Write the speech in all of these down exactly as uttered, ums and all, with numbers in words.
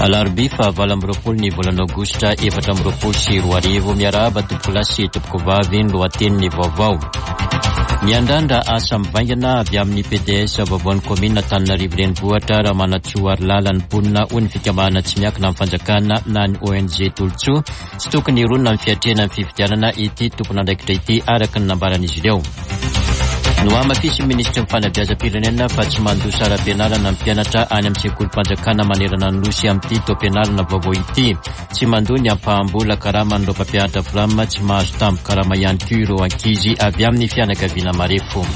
Alarobia fahavalo amby roapolo ny volana aogositra efatra amby roapolo sy roa arivo. Miarahaba tompokolahy sy tompokovavy, ny lohatenin'ny vaovao. Miandrandra asa mivaingana avy amin'ny P D S vaovaon'ny kaominina Antananarivo Renivohitra Ramanantsoa Harilala ny mponina, hoy ny fikambanana tsy miankina amin'ny fanjakana na ny O N G Tolotsoa. Tsy tokony hironona amin'ny fiatrehana ny fifidianana ity tompon'andraikitra ity, araka ny nambaran'izy ireo. Nohamafisin'ny minisitry ny fanabeazam-pirenena fa tsy mandoa saram-pianarana ny mpianatra any amin'ny sekolim-panjakana manerana ny nosy amin'ity taom-pianarana vaovao ity. Tsy mandoa ny ampaham-bola karaman'ireo mpampianatra Fram, tsy mahazo tambin-karama ihany koa ireo ankizy avy amin'ny fianakaviana marefo.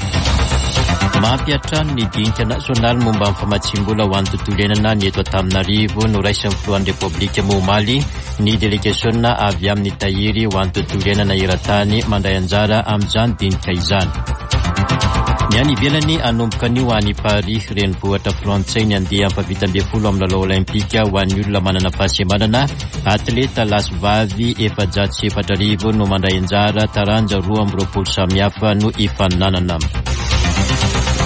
Mampiantrano ny dinika nasionaly momba ny famatsim-bola ho an'ny tontolo iainana ny eto Antananarivo. Noraisin'ny filohan'ny Repoblika moa omaly ny délégation avy amin'ny tahiry ho an'ny tontolo iainana eran-tany mandray anjara amin'izany dinika izany. Ny any ivelany, hanomboka anio any Paris, renivohitra frantsay, ny andiany fahavalo ambin'ny folo amin'ny lalao olimpika ho an'ny olona manana fahasembanana. Atleta lahy sy vavy efajato sy efatra arivo no mandray anjara, taranja roa amby roapolo samihafa no ifaninanana.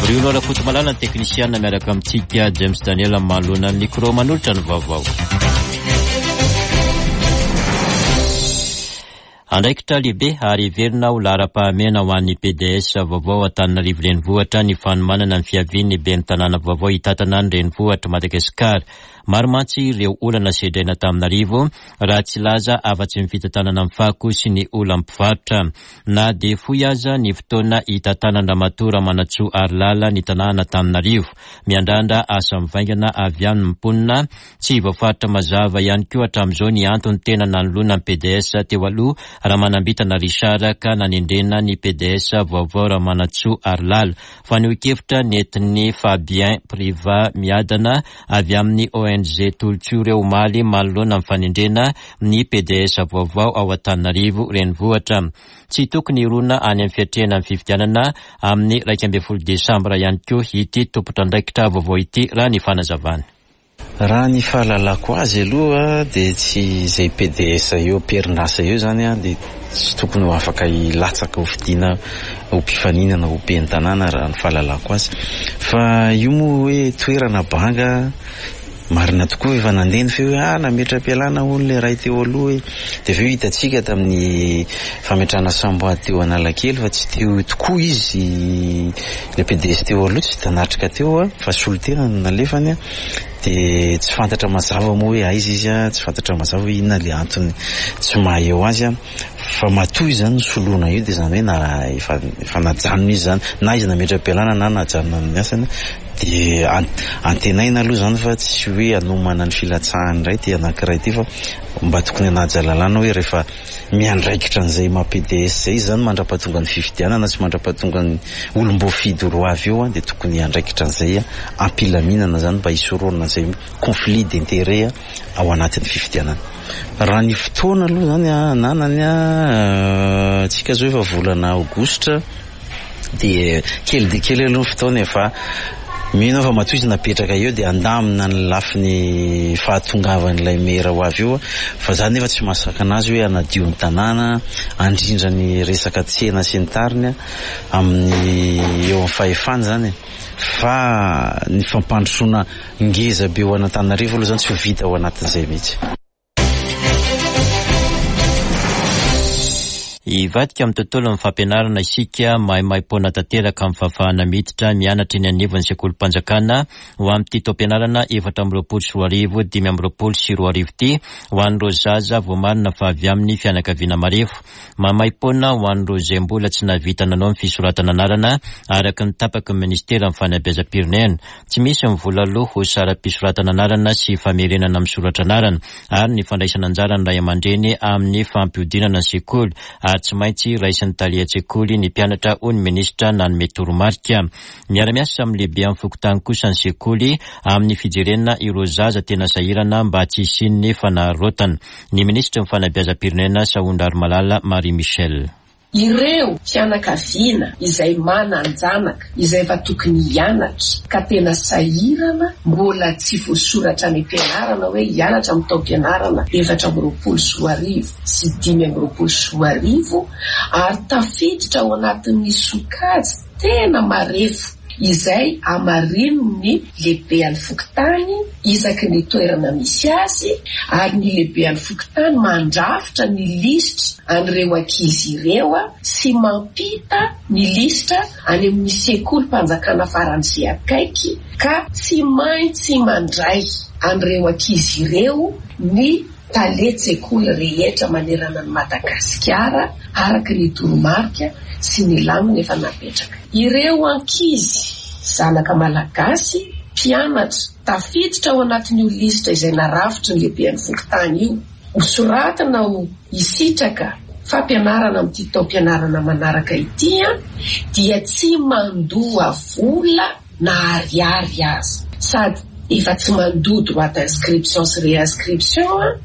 Bruno Rakotomalala ny teknisiana miaraka amintsika, James Daniel manoloana ny micro manolotra ny vaovao. Andraikitra lehibe ary heverina ho laharam-pahamehana ho an'ny P D S vaovao Antananarivo Renivohitra ny fanomanana ny fiavian'ny ben'ny tanàna vaovao hitantana ny renivohitra Madagasikara. Maro mantsy ireo olana sedraina Antananarivo, raha tsy laza afa-tsy ny fitantanana ny fako sy ny olan'ny mpivarotra. Na dia fohy aza ny fotoana hitantanan-dRamatoa Ramanantsoa Harilala ny tanàna Antananarivo, miandrandra asa mivaingana avy amin'ny mponina. Tsy voafaritra mazava ihany koa hatramin'izao ny antony tena nanoloana ny P D S teo aloha Ramanambitana Richard ka nanendrena ny P D S vaovao Ramanantsoa Harilala. Fanehoan-kevitra nentin'ny Fabien Privat Miadana avy amin'ny O N G Tolotsoa ireo omaly manoloana ny fanendrena ny P D S vaovao ao Antananarivo Renivohitra. Tsy tokony hirona any amin'ny fiatrehana ny fifidianana amin'ny iraika ambin'ny folo desambra ihany koa ity tompon'andraikitra vaovao ity, raha ny fanazavana. Raha ny fahalalako azy aloha dia tsy izay P D S eo am-perinasa eo zany a dia tsy tokony ho afaka hilatsaka ho fidiana ho mpifaninana ho ben'ny tanàna, raha ny fahalalako azy. Fa io moa hoe toerana banga, marina tokoa, efa nandeha ny feo hoe ah nametra-pialana hono le ray teo aloha hoe, dia aveo hitantsika tamin'ny fametrahana samboady teo Analakely fa tsy teo tokoa izy le P D S teo aloha, tsy tanatrika teo a fa solontena no nalefany a dia tsy fantatra mazava moa hoe aiza izy a, tsy fantatra mazava hoe inona le antony tsy maha eo azy a fa matoa izy zany ny soloana io dia zany hoe na efa efa najanona izy zany, na izy nametra-pialana na najanona amin'ny asany. Dia antenaina aloha zany fa tsy hoe anomana ny filatsahany indray ty anankiray ty, fa mba tokony hanaja lalàna hoe rehefa miandraikitra an'izay maha P D S zay izy zany mandra-pahatonga ny fifidianana sy mandra-pahatonga ny olom-boafidy ro avy eo a dia tokony hiandraikitra an'izay a ampilaminana zany mba hisorohana an'izay conflit d'intérêt ao anatin'ny fifidianana. Raha ny fotoana aloha zany a ananany a tsika zao efa volana aogositra, dia kely de kely aloha ny fotoana, fa mino fa matoa izy napetraka eo dia andamina ny lafiny fahatongavan'ilay mera ho avy eo. Fa zany nefa tsy mahasakana azy hoe anadio ny tanàna, andrindra ny resaka tsena sy ny tariny amin'ny eo amin'ny fahefany zany, fa ny fampandrosoana ngeza be ho an'Antananarivo aloha zany tsy ho vita ao anatin'izay mihitsy. Hivadika amin'ny tontolo ny fampianarana isika. Maimaimpoana tanteraka amin'ny fahafahana miditra mianatra eny anivon'ny sekolim-panjakana ho amin'ity taom-pianarana efatra amby roapolo sy roa arivo dimy amby roapolo sy roa arivo ity ho an'ireo zaza voamarina fa avy amin'ny fianakaviana marefo. Maimaimpoana ho an'ireo izay mbola tsy nahavita nanao ny fisoratana anarana, araka ny tapaky ny ministera amin'ny fanabeazam-pirenena. Tsy misy ny vola aloa ho saram-pisoratana anarana sy famerenana misoratra anarana ary ny fandraisana anjara ny ray aman-dreny amin'ny fampiodinana ny sekoly, ary tsy maintsy raisin'ny talen-tsekoly ny mpianatra, hoy ny ministra nanome toromarika. Miara-miasa amin'ny lehibe amin'ny fokontany kosa ny sekoly amin'ny fijerena ireo zaza tena sahirana mba tsy hisian'ny fanararaotana. Ny ministra ny fanabeazam-pirenena Sahondrarimalala Marie Michelle. Ireo fianakaviana izay manan-janaka izay efa tokony hianatra ka tena sahirana, mbola tsy voasoratra any am-pianarana hoe hianatra amin'ny taom-pianarana efatra amby roapolo sy roa arivo sy dimy amby roapolo sy roa arivo ary tafiditra ao anatin'ny sokajy tena marefo. Izay amarinin'ny lehiben'ny fokontany isaky ny toerana misy azy, ary ny lehiben'ny fokontany mandrafitra ny lisitra an'ireo ankizy ireo sy mampita ny lisitra any amin'ny sekolim-panjakana faran'izay akaiky, ka tsy maintsy mandray an'ireo ankizy ireo ny talen-tsekoly rehetra manerana ny Madagasikara araka ny toromarika sy ny lamina efa napetraka. Ireo ankizy zanaka malagasy mpianatra tafiditra ao anatin'io lisitra izay narafitry ny lehiben'ny fokontany io, hosoratana ho hisitraka fampianarana amin'ity taom-pianarana manaraka ity dia tsy mandoa vola na ariary aza, sady efa tsy mandoa droit d'inscription sy réinscription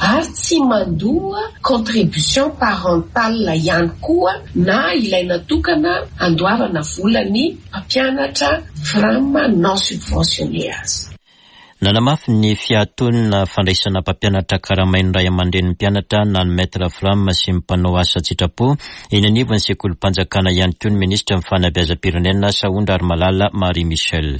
ary tsy mandoa contribution parentale ihany koa na ilay natokana andoavana volany mpampianatra FRAM non subventionné azy. Nanamafy ny fiatoan'ny fandraisana mpampianatra karamain'ny ray aman-drenin'ny mpianatra na ny maître FRAM sy ny mpanao asa an-tsitrapo eny anivon'ny sekolim-panjakana ihany koa ny minisitra ny fanabeazam-pirenena Sahondrarimalala Marie Michelle.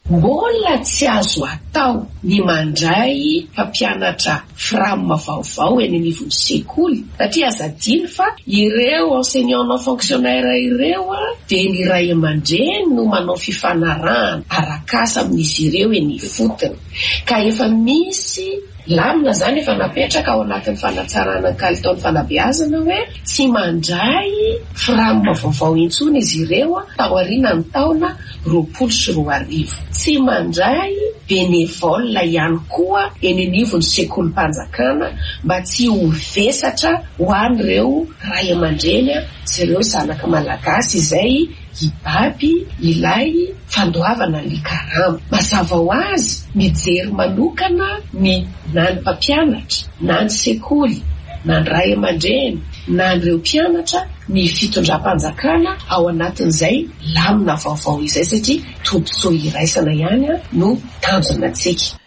Mbola tsy azo atao ny mandray mpampianatra FRAM vaovao eny anivon'ny sekoly, satria aza adino fa ireo enseignant non fonctionnaire ireo dia ny ray aman-dreny no manao fifanarahana arak'asa amin'izy ireo eny ifotony, ka efa misy lamina zany efa napetraka ao anatin'ny fanatsarana ny kalitaon'ny fanabeazana hoe tsy mandray FRAM vaovao intsony izy ireo taorian'ny taona roapolo sy roa arivo. Tsy mandray bénévole ihany koa eny anivon'ny sekolim-panjakana mba tsy ho vesatra ho an'ireo ray aman-dreny sy ireo zanaka malagasy izay hibaby ilay fandoavana ny karama. Mazava ho azy mijery manokana ny na ny mpampianatra na ny sekoly na ny ray aman-dreny na ireo mpianatra ny fitondram-panjakana ao anatin'izay lamina vaovao izay, satria tombontsoa iraisana ihany no tanjona antsika.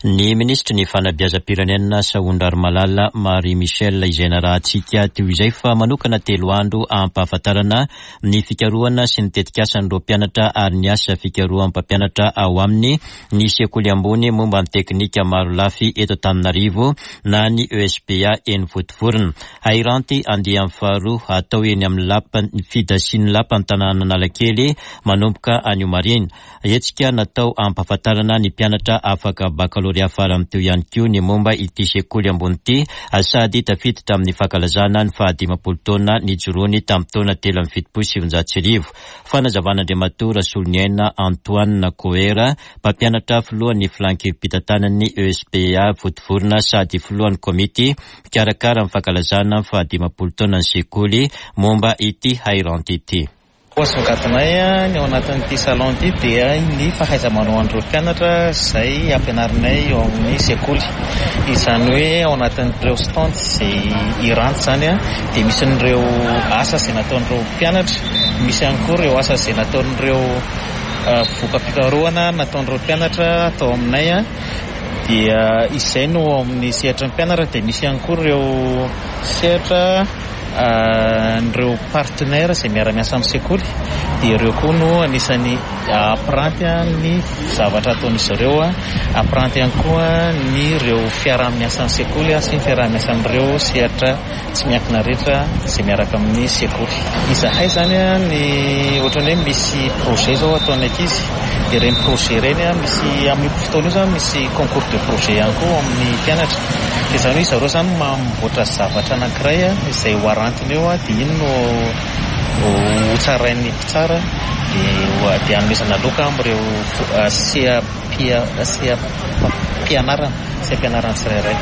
Ny minisitry ny fanabeazam-pirenena Sahondrarimalala Marie Michelle izay narahantsika teo izay fa manokana telo andro ampahafantarana ny fikarohana sy ny tetikasan'ireo mpianatra ary ny asa fikarohan'ny mpampianatra ao aminy ny sekoly ambony momba ny teknika marolafy eto Antananarivo na ny E S P A eny Vontovorona. Hairanty andiany faharoa atao eny amin'ny lapa fidasian'ny lapan'ny Analakely manomboka anio maraina. Hetsika natao ampahafantarana ny mpianatra afaka bakalorea farany teo ihany koa ny momba ity sekoly ambony ity, sady tafiditra amin'ny fankalazana ny fahadimampolo taona nijoroany tamin'ny taona telo amby fitopolo sy sivinjato sy arivo. Fanazavan'Andriamatoa Rasoloniaina Antoine Coera, mpampianatra filohan'ny filan-kevi-pitantanan'ny E S P A Vontovorona sady filohan'ny komity mpikarakara ny fankalazana ny fahadimampolo taona ny sekoly momba ity hairanty ity. Asongadinay ny ao anatin'ity salon ity dia ny fahaiza-manao an'ireo mpianatra izay ampianarinay eo amin'ny sekoly. Izany hoe ao anatin'ireo stand izay iranty izany dia misy an'ireo asa izay nataon'ireo mpianatra, misy ihany koa ireo asa izay nataon'ireo voka-pikarohana nataon'ireo mpianatra tao aminay. Dia izay no ao amin'ny sehatry ny mpianatra, dia misy ihany koa ireo sehatra ireo partenaire izay miara-miasa amin'ny sekoly, dia ireo koa no anisan'ny ampiranty ny zavatra ataon'izy ireo, ampiranty ihany koa ny ireo fiaraha-miasan'ny sekoly sy ny fiaraha-miasan'ireo sehatra tsy miankina rehetra izay miaraka amin'ny sekoly. Izahay izany ny ohatran'ny hoe misy projet izao ataon'ny ankizy, dia ireny projet ireny misy amin'io fotoana io izany misy concours de projet ihany koa amin'ny mpianatra. Dia izany hoe zareo izany mamboatra zavatra anankiray izay ho arantiny eo, dia iny no ho tsarain'ny mpitsara, dia dia hanomezana loka amin'ireo seha-pianarana, seha-pianarana tsirairay.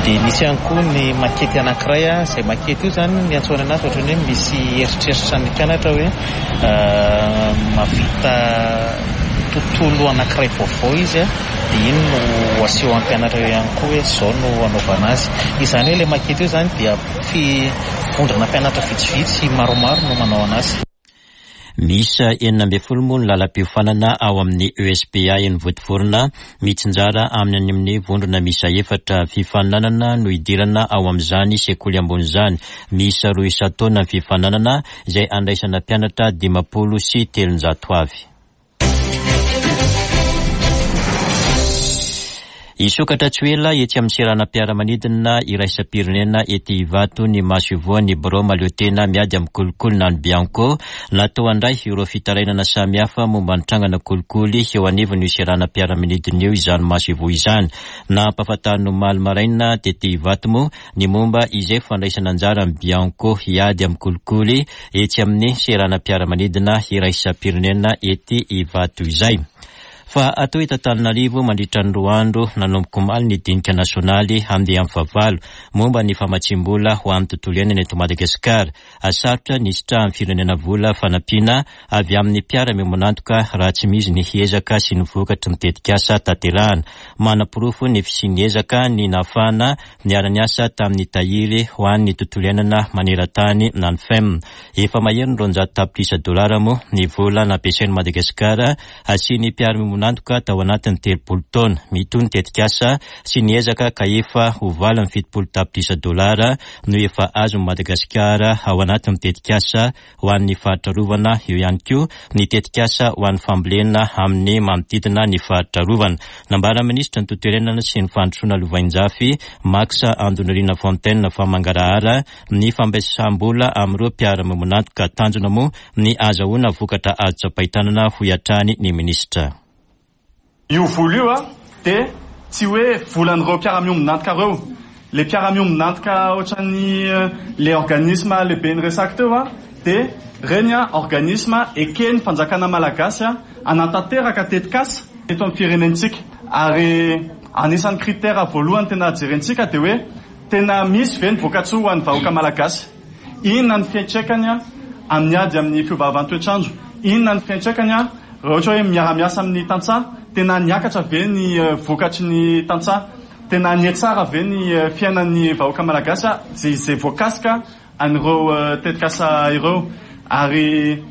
Dia misy ihany koa ny makety anankiray, izay makety io izany ny antsoina anazy ohatran'ny hoe misy eritreritra ny mpianatra hoe mahavita tontolo anankiray vaovao izy, dia iny no aseho amin'ny mpianatra eo ihany koa hoe izao no anaovana azy. Izany hoe ilay makety io izany dia vondrona mpianatra vitsivitsy maromaro no manao anazy. Miisa enina ambin'ny folo moa ny lalam-piofanana ao amin'ny E S P A eny Vontovorona, mitsinjara amin'ny amin'ny vondrona miisa efatra. Fifaninanana no idirana ao amin'izany sekoly ambony izany. Miisa roa isan-taona ny fifaninanana izay andraisana mpianatra dimampolo sy telonjato avy. Hisokatra tsy ho ela etsy amin'ny seranam-piaramanidina iraisam-pirenena ety Ivato ny masoivohon'ny birao mahaleotena miady amin'ny kolikoly na ny Bianco. Natao handray ireo fitarainana samihafa momba ny trangana kolikoly eo anivon'io seranam-piaramanidina io izany masoivoho izany. Nampahafantarina omaly maraina tety Ivato moa ny momba izay fandraisana anjara amin'ny Bianco hiady amin'ny kolikoly etsy amin'ny seranam-piaramanidina iraisam-pirenena ety Ivato izay. Fa atao eto Antananarivo mandritra ny roa andro nanomboka omaly ny dinika nasionaly handeha amin'ny fahavalo momba ny famatsiam-bola ho an'ny tontolo iainana eto Madagasikara. Sarotra ny hisitrahan'ny firenena vola fanampiana avy amin'ny mpiara-miombon'antoka raha tsy misy ny ezaka sy ny vokatry ny tetikasa tanterahana. Manaporofo ny fisian'ny ezaka ny nahafahana niara-niasa tamin'ny tahiry ho an'ny tontolo iainana maneran-tany na ny F E M. Efa mahery ny roanjato tapitrisa dolara moa ny vola nampiasain'i Madagasikara asian'ny mpiara-miombon'antoka tao anatin'ny telopolo taona. Mitohy ny tetikasa sy ny ezaka ka efa ho valo amby fitopolo tapitrisa dolara no efa azon'i Madagasikara ao anatin'ny tetikasa ho an'ny faritra arovana. Eo ihany koa ny tetikasa ho an'ny fambolena amin'ny manodidina ny faritra arovana. Nambaran'ny minisitra ny tontolo iainana sy ny fandrosoana lovainjafy Max Andonirina Fontaine fa mangarahara ny fampiasam-bola amin'ireo mpiara-miombon'antoka. Tanjona moa ny azahoana vokatra azo tsapain-tanana, hoy hatrany ny minisitra. Io vola io a dia tsy hoe volan'ireo mpiara-miombon'antoka ireo. Le mpiara-miombon'antoka ohatran'ny le organisme lehibe niresaka teo a dia reny a organisme eken'ny fanjakana malagasy a anatanteraka tetikasa eto amin'ny firenentsika. Ary anisan'ny critère voalohany tena jerentsika dia hoe tena misy ve ny vokatsoa ho an'ny vahoaka malagasy? Inona ny fiantraikany a amin'ny ady amin'ny fiovaovan'ny toetrandro? Inona ny fiantraikany a raha ohatra hoe miara-miasa amin'ny tantsaha? Tena niakatra ve ny vokatry ny tantsaha? Tena nihatsara ve ny fiainan'ny vahoaka malagasy a izay, izay voakasika an'ireo tetikasa ireo? Ary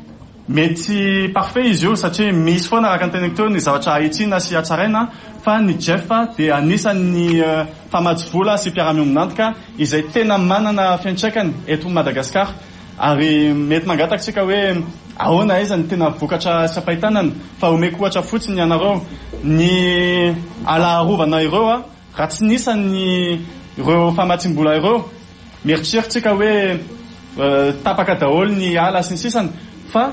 mety parfait izy io satria misy foana araka ny teneniko teo ny zavatra ahitsina sy hatsaraina, fa ny G E F dia anisan'ny mpamatsy vola sy mpiara-miombon'antoka izay tena manana fiantraikany eto Madagasikara. Ary mety mangataka isika hoe ahoana aiza ny tena vokatra sy ampahitanana, fa omeko ohatra fotsiny ianareo ny ala arovana ireo a raha tsy nisan'ny ireo famatsiam-bola ireo, mieritreritra hoe tapaka daholo ny ala sy ny sisany, fa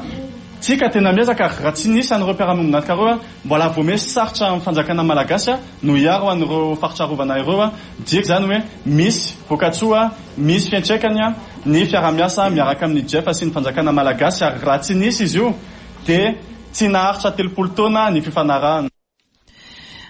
tsika tena miezaka raha tsy nisan'ireo mpiara-miombon'antoka ireo a mbola vao misy sarotra amin'ny fanjakana malagasy a no hiaro an'ireo faritra arovana ireo a. Midika izany hoe misy vokatsoa, misy fiantraikany a ny fiarahamiasa miaraka amin'ny G E F sy ny fanjakana malagasy, ary raha tsy nisy izy io dia tsy naharitra telopolo taona ny fifanarahana.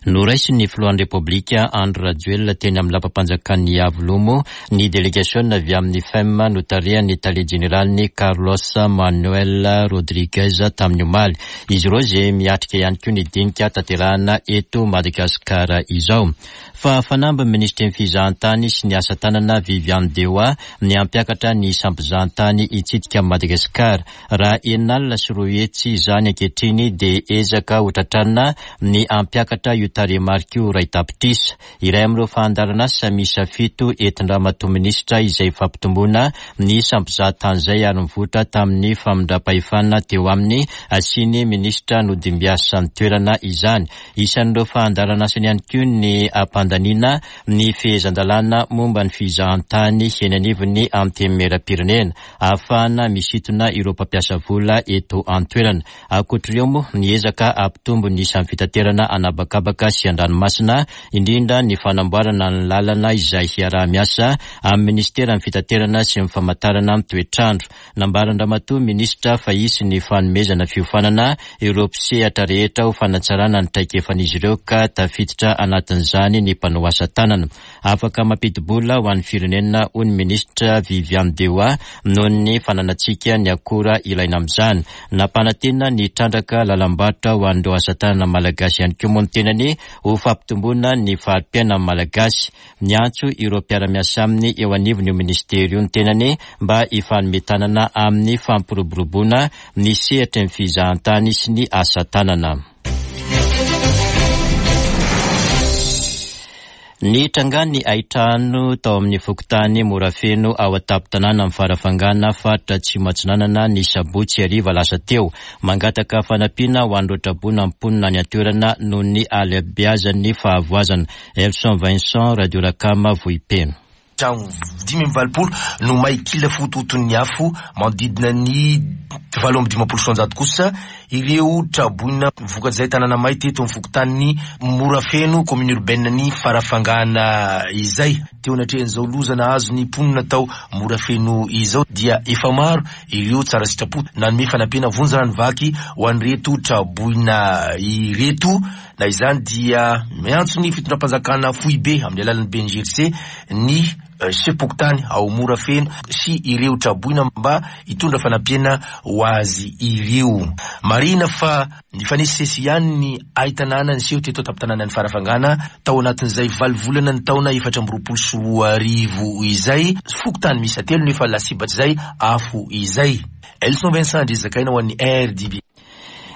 Noraisin'ny filohan'ny Repoblika Andry Rajoelina teny amin'ny lapam-panjakan'ny Iavoloha ny délégation avy amin'ny F E M notarihan'ny tale jeneraliny Carlos Manuel Rodriguez tamin'ny omaly. Izy ireo izay miatrika ihany koa ny dinika tanterahana eto Madagasikara izao. Fa fanamby ny minisitry ny fizahantany sy ny asa tanana Viviane Dewa ny hampiakatra ny isam-pizahantany hitsidika amin'i Madagasikara. Raha enina alina sy roa hetsy izany ankehitriny dia ezaka ho tratrarina ny hampiakatra io tarehimarika io iray tapitrisa. Iray amin'ireo fandaharanasa miisa fito entin-dRamatoa minisitra izay fampitomboana ny isam-pizahantany izay ary nivoitra tamin'ny famindram-pahefana teo aminy sy ny minisitra nodimbiasan'ny toerana izany. Isan'ireo fandaharanasany ihany koa ny ampandaniana ny fehezan-dalàna momba ny fizahantany eny anivon'ny antenimieram-pirenena ahafahana misintona ireo mpampiasa vola eto an-toerana. Ankoatr'ireo moa ny ezaka hampitombo ny isan'ny fitaterana an'habakabaka sy an-dranomasina, indrindra ny fanamboarana ny lalana izay hiaraha-miasa amin'ny ministeran'ny fitaterana sy ny famantarana ny toetrandro. Nambaran-dRamatoa minisitra fa hisy ny fanomezana fiofanana ireo mpisehatra rehetra ho fanatsarana ny traikefan'izy ireo ka tafiditra anatin'izany ny mpanao asa tanana. Afaka mampidi-bola ho an'ny firenena, hoy ny minisitra Viviane Dewa, noho ny fananantsika ny akora ilaina amin'izany. Nampanantena ny trandraka lalam-barotra ho an'ireo asa tanana malagasy ihany koa moa ny tenany ho fampitomboana ny fari-piainan'ny malagasy. Niantso ireo mpiara-miasa aminy eo anivon'io ministera io ny tenany mba hifanome tanana amin'ny fampiroboroboana ny sehatry ny fizahantany sy ny asa tanana. Ny trangany hain-trano tao amin'ny fokontany Morafeno ao an-tampon-tanàna amin'ny Farafangana, faritra Atsimo Atsinanana, ny sabotsy hariva lasa teo. Mangataka fanampiana ho an'ireo traboina mponina any an-toerana noho ny halehibeazan'ny fahavoazana. Elson Vincent, Radio Rakama, Vohipeno. Trano dimy amby valopolo no may kila fototon'ny afo, manodidina ny valo amby dimampolo sy roanjato kosa ireo traboina vokatr'izay tanàna may teto amin'ny fokontany Morafeno, commune urbaine ny Farafangana izay. Teo anatrehan'izao loza nahazo ny mponina tao Morafeno izao dia efa maro ireo tsara sitrapo nanome fanampiana vonjy rano vaky ho an'ireto traboina ireto. Na izany dia miantso ny fitondram-panjakana foibe amin'ny alalan'ny B N G R C ny sefom-pokontany ao Morafeno sy ireo traboina mba hitondra fanampiana ho azy ireo. Marihina fa nifanesisesy ihany ny hain-tanàna niseho teto an-tampon-tanànan'ny Farafangana tao anatin'izay valo volana ny taona efatra amby roapolo sy roa arivo izay. Fokontany miisa telo no efa lasibatr'izay afo izay. Elson Vincent Andrizakaina ho an'ny R D B.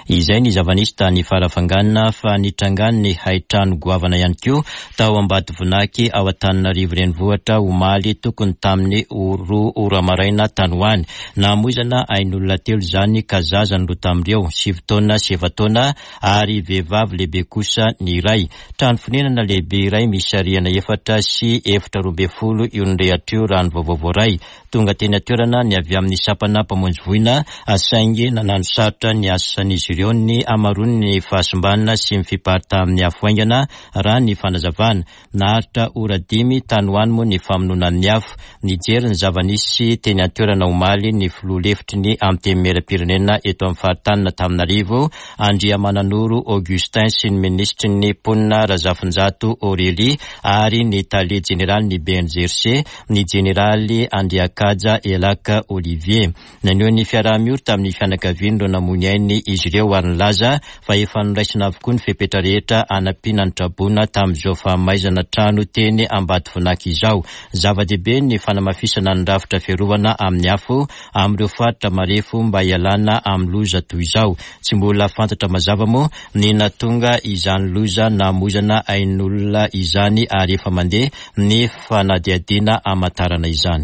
Izay ny zava-nisy tany Farafangana, fa nitrangany hain-trano goavana ihany koa tao Ambatovonaky ao Antananarivo renivohitra omaly tokony tamin'ny roa ora maraina tany ho any. Namoizana ain'olona telo izany ka zaza ny roa tamin'ireo, sivy taona sy efa-taona ary vehivavy lehibe kosa ny iray. Trano fonenana lehibe iray misy rihana efatra sy efitra roa ambin'ny folo io nirehatra io raha ny vaovao voaray. Tonga teny an-toerana ny avy amin'ny sampana mpamonjy voina, saingy nanano sarotra ny asan'izy ireo ny hamaroan'ny fahasimbana sy ny fiparitahan'ny afo haingana raha ny fanazavana. Naharitra ora dimy tany ho any moa ny famonoana ny afo. Nijery ny zava-nisy teny an-toerana omaly ny filoha lefitry ny Antenimierampirenena eto amin'ny faritanin'Antananarivo, Andriamananoro Augustin, sy ny minisitry ny mponina Razafinjato Aurélie ary ny tale jeneraly ny B N G R C, ny jeneraly Andriakaja Elaka Olivier. Naneho ny fiaraha-miory tamin'ny fianakavian'ireo namoy ny ainy izy ireo ary nilaza fa efa noraisina avokoa ny fepetra rehetra hanampiana ny traboina tamin'izao fahamaizana trano teny Ambatovonaky izao. Zava-dehibe ny fanamafisana ny rafitra fiarovana amin'ny afo amin'ireo faritra marefo mba hialana amin'ny loza toy izao. Tsy mbola fantatra mazava moa ny nahatonga izany loza namoizana ain'olona izany ary efa mandeha ny fanadihadiana hamantarana izany.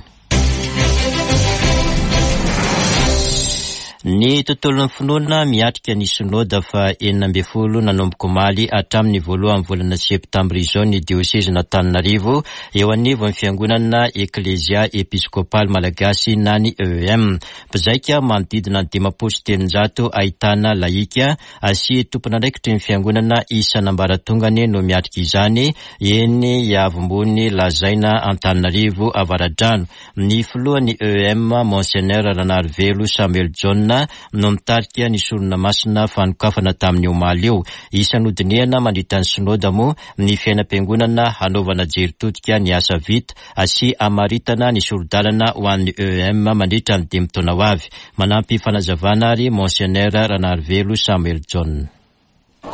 Ny tontolon'ny finoana miatrika ny synoda fa enina ambin'ny folo nanomboka omaly hatramin'ny voalohan'ny volana septambra izao ny diosezin'Antananarivo eo anivon'ny fiangonana Eklesia Episkopaly Malagasy na ny E M. Mpizaika manodidina ny dimampolo sy telonjato ahitana lahika sy tompon'andraikitry ny fiangonana isan'ambaratongany no miatrika izany eny Iavombony Lazaina Antananarivo Avaradrano. Ny filohan'ny E M, Monseigneur Ranarivelo Samuel Jaona, no mitarika ny sorona masina fanokafana tamin'ny omaly io. Isan'ny hodinihana mandritra ny synoda moa ny fiainam-piangonana hanaovana jery todika ny asa vita sy hamaritana ny sori-dalana ho an'ny E M mandritra ny dimy taona ho avy. Manampy fanazavana ary Monseigneur Ranarivelo Samuel Jaona.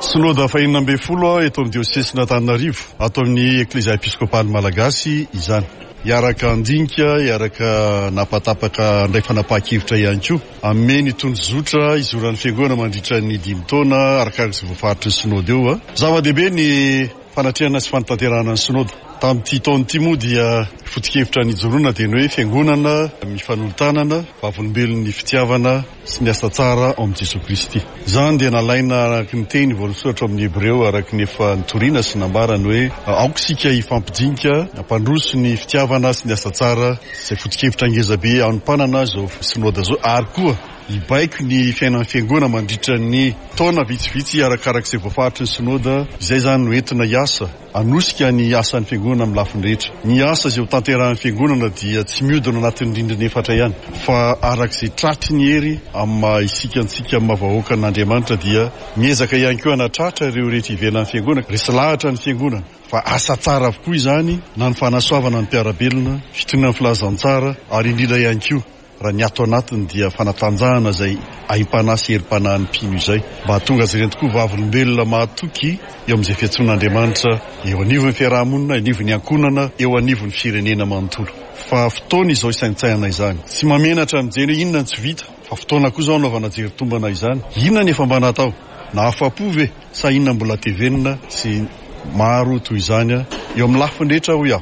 Synoda fahenina ambin'ny folo eto amin'ny diosesin'Antananarivo, ato amin'ny Eklesia Episkopaly Malagasy izany. Hiaraka handinika, hiaraka napatapaka handray fanapahan-kevitra ihany koa. Hanome ny tondrozotra izoran'ny fiangonana mandritra ny dimy taona arakaraka izay voafaritry ny synoda eo. Zava-dehibe ny fanatrehana sy fanatanterahana ny synoda. Tamin'ity taona ity moa dia foto-kevitra nijoroana dia ny hoe fiangonana mifanolo-tanana, vavolombelon'ny fitiavana sy ny asa tsara ao amin'i Jesoa Kristy. Izany dia nalaina araka ny teny voasoratra ao amin'ny Hebreo araka ny efa nitoriana sy nambarany hoe aoka isika hifampidinika, hampandroso ny fitiavana sy ny asa tsara, izay foto-kevitra ngezabe hanompanana izao synoda izao, ary koa hibaiko ny fiainan'ny fiangonana mandritra ny taona vitsivitsy arakaraka izay voafaritry ny synoda. Izay izany no entina hiasa, hanosika ny asan'ny fiangonana amin'ny lafiny rehetra. Ny asa izay ho tanterahan'ny fiangonana dia tsy mihodina anatin'ny rindrina efatra ihany, fa araka izay tratry ny hery amin'ny maha isika antsika amin'ny maha vahoakan'Andriamanitra dia miezaka ihany koa hanatratra ireo rehetra ivelan'ny fiangonana, resy lahatra ny fiangonana Fa asa tsara avokoa izany, na ny fanasoavana ny mpiara-belona, fitoriana ny filazantsara, ary indrindra ihany koa raha ny ato anatiny dia fanatanjahana izay aim-panahy sy herim-panahin'ny mpino izay, mba hahatonga azy ireny tokoa vavolombelona mahatoky eo amin'izay fiantsoan'Andriamanitra eo anivon'ny fiarahamonina, anivon'ny ankohonana, eo anivon'ny firenena manontolo. Fa fotoana izao isaintsainana izany. Tsy mamenatra mijery hoe inona no tsy vita, fa fotoana koa izao anaovana jery tombana izany. Inona ny efa mba natao? Nahafa-po ve? Sa inona mbola tevenina sy maro toy izany eo amin'ny lafiny rehetra hoy aho.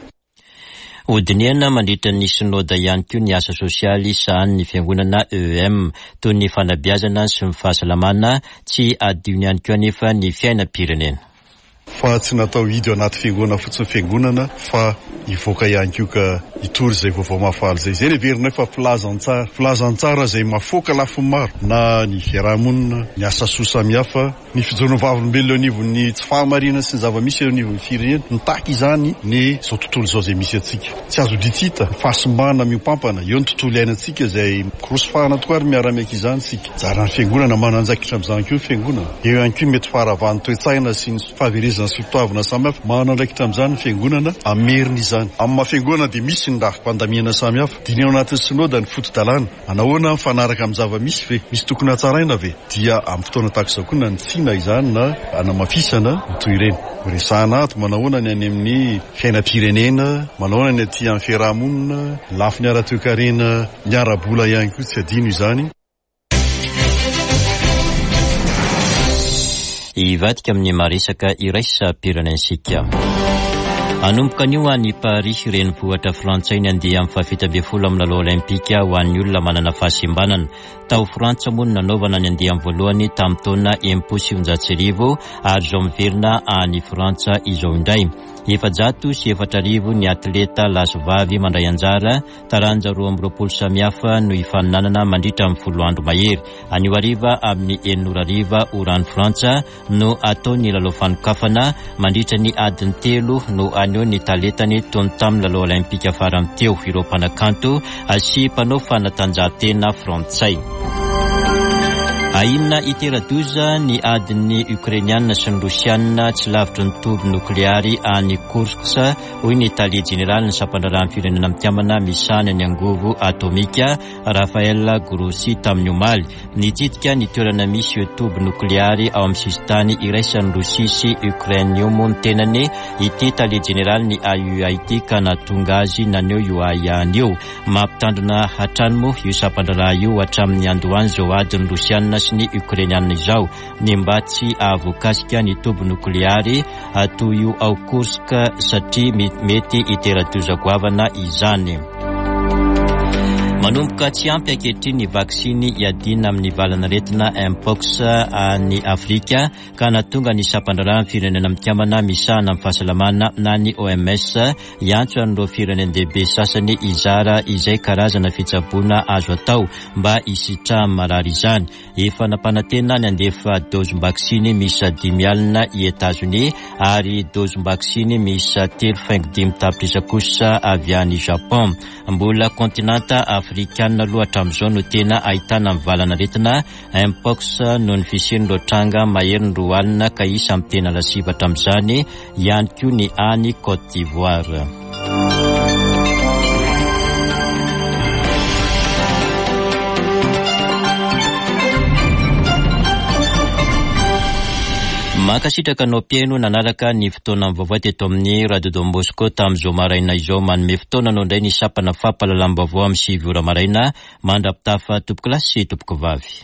Hodinihana mandritra ny synoda ihany koa ny asa sosialy sahanin'ny fiangonana E M, toy ny fanabeazana sy ny fahasalamana. Tsy adino ihany koa anefa ny fiainam-pirenena. Fa tsy natao hidy ao anaty fiangonana fotsiny fiangonana, fa hivoaka ihany koa ka hitory izay vaovao mahafaly izay. Izay no heverina fa filazantsara, filazantsara izay mahafoaka lafiny maro, na ny fiarahamonina, ny asa soa samihafa, ny fijoroan'ny vavolombelona eo anivon'ny tsy fahamarinana sy ny zava-misy eo anivon'ny firenena. Mitaky izany ny izao tontolo izao izay misy antsika. Tsy azo ditsita fahasimbana miompampana eo ny tontolo iainantsika izay mikorosofahana tokoa ary miara-miaiky izany isika. Zaran'ny fiangonana mananjaikitra amin'izany koa ny fiangonana. Eo ihany koa mety faharavan'ny toe-tsaina sy ny fahaverezana sy fitoavana samihafa. Manandraikitra amin'izany ny fiangonana, amerina izany. Amin'ny maha fiangonana dia misy ny rafi-pandamiana samihafa. Dinihina ao anatin'ny synoda ny foto-dalàna. Manahoana mifanaraka amin'ny zava-misy ve? Misy tokony hatsaraina ve? Dia amin'ny fotoana tahaka izao koa na ny tsina izany na anamafisana ny toy ireny. Resahana ato manahoana ny any amin'ny fiainam-pirenena, manahoana ny aty amin'ny fiarahamonina, lafiny ara-toekarena, ny ara-bola ihany koa tsy adino izany. Hivadika amin'ny maresaka iraisam-pirenentsika. Hanomboka anio any Paris, renivohitra frantsay, ny andiany amin'ny fahafito ambin'ny folo amin'ny lalao olimpika ho an'ny olona manana fahasembanana. Tao Frantsa moa no nanaovana ny andiany voalohany tamin'ny taona enimpolo sy sivinjato sy arivo, ary izao miverina any Frantsa izao indray. Efajato sy efatra arivo ny atleta lahy sy vavy mandray anjara, taranja roa amby roapolo samihafa no hifaninanana mandritra ny folo andro mahery. Anio hariva amin'ny enina ora hariva oran'ny Frantsa no atao ny lalao fanokafana. Mandritra ny adiny telo no haneho ny talentany toy ny tamin'ny lalao olimpika farany teo ireo mpanakanto sy mpanao fanatanjahantena frantsay. Ahiana hitera-doza ny adin'ny Ukrainiana sy ny Rosiana tsy lavitry ny toby nokleary any Kursk, hoy ny tale jeneraly ny sampandraharahan'ny firenena mikambana misahana ny angovo atomika Rafael Grossi tamin'ny omaly. Nitsidika ny toerana misy io toby nokleary ao amin'ny sisintany iraisan'ny Rosia sy Ukraine io moa ny tenany ity tale jeneraly ny A U A ity ka nahatonga azy naneho io ahiahiny io. Mampitandrina hatrany moa io sampandraharaha io hatramin'ny andohany izao adin'ny Rosiana sy ny Ukrainiana izao, ny mba tsy hahavoakasika ny toby nokleary toy io ao Kursk satria mety hitera-doza goavana izany. Manomboka tsy ampy ankehitriny ny vaksiny hiadiana amin'ny valanaretina Mpox any Afrika ka nahatonga ny sampandraharahan'ny firenena mikambana misahana amin'ny fahasalamana na ny O M S hiantso an'ireo firenen-dehibe sasany hizara izay karazana fitsaboana azo atao mba hisitrahan'ny marary izany. Efa nampanantena ny handefa dozim-baksiny miisa dimy alina i Etazonia ary dozim-baksiny miisa telo faingo dimy tapitrisa kosa avy any Japon. Mbola kontinanta afrikanina aloha hatramin'izao no tena ahitana ny valanaretina Mpox noho ny fisian'ireo tranga maherin'ny roa alina ka isan'ny tena lasibatra amin'izany ihany koa ny any Côte d'Ivoire. Mankasitraka anao mpihaino nanaraka ny fotoana vaovao teto amin'ny Radio Don Bosco tamin'izao maraina izao. Manome fotoana anao indray ny sampana fampahalalam-baovao amin'ny sivy ora maraina. Mandra-pitafa tompoko lahy sy tompoko vavy.